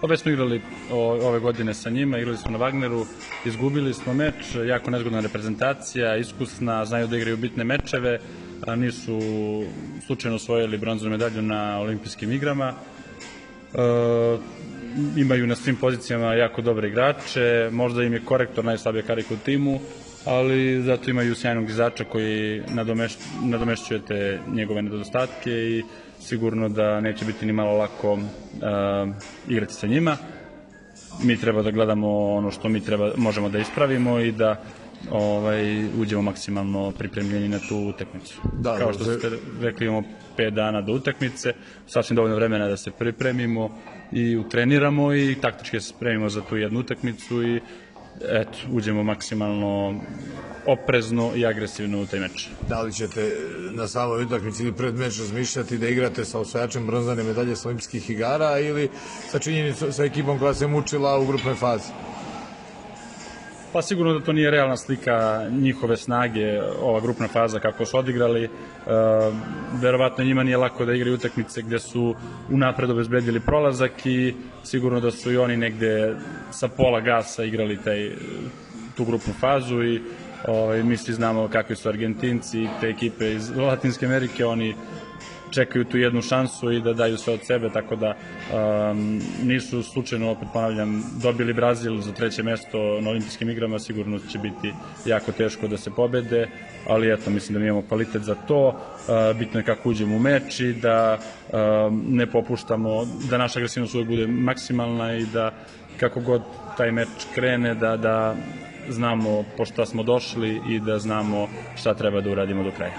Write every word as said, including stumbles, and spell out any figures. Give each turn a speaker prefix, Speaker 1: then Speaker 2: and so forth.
Speaker 1: Pa već smo igrali ove godine sa njima, igrali smo na Wagneru, izgubili smo meč, jako nezgodna reprezentacija, iskusna, znaju da igraju bitne mečeve, a nisu slučajno osvojili bronzanu medalju na olimpijskim igrama. E, imaju na svim pozicijama jako dobre igrače, možda im je korektor najslabija karika u timu, ali zato imaju sjajnog izača koji nadomešćuje te njegove nedostatke i sigurno da neće biti ni malo lako uh, igrati sa njima. Mi treba da gledamo ono što mi treba, možemo da ispravimo i da ovaj, uđemo maksimalno pripremljeni na tu utakmicu. Da, Kao što ste rekli, imamo pet dana do utakmice, sasvim dovoljno vremena da se pripremimo i utreniramo i taktički se spremimo za tu jednu utakmicu i eto, uđemo maksimalno oprezno i agresivno u taj meč.
Speaker 2: Da li ćete na samoj utakmici ili pred meč razmišljati da igrate sa osvajačem bronzane medalje sa olimpijskih igara ili sa činjenicom sa ekipom koja se mučila u grupnoj fazi?
Speaker 1: Pa sigurno da to nije realna slika njihove snage, ova grupna faza kako su odigrali. E, verovatno njima nije lako da igraju utakmice gde su unapred obezbedili prolazak i sigurno da su i oni negde sa pola gasa igrali taj, tu grupnu fazu i ovaj, mi svi znamo kakvi su Argentinci i te ekipe iz Latinske Amerike, oni čekaju tu jednu šansu i da daju sve od sebe, tako da um, nisu slučajno, opet ponavljam, dobili Brazil za treće mesto na olimpijskim igrama, sigurno će biti jako teško da se pobede, ali eto, mislim da mi imamo kvalitet za to, uh, bitno je kako uđemo u meč i da um, ne popuštamo, da naša agresivnost uvek bude maksimalna i da kako god taj meč krene, da, da znamo po šta smo došli i da znamo šta treba da uradimo do kraja.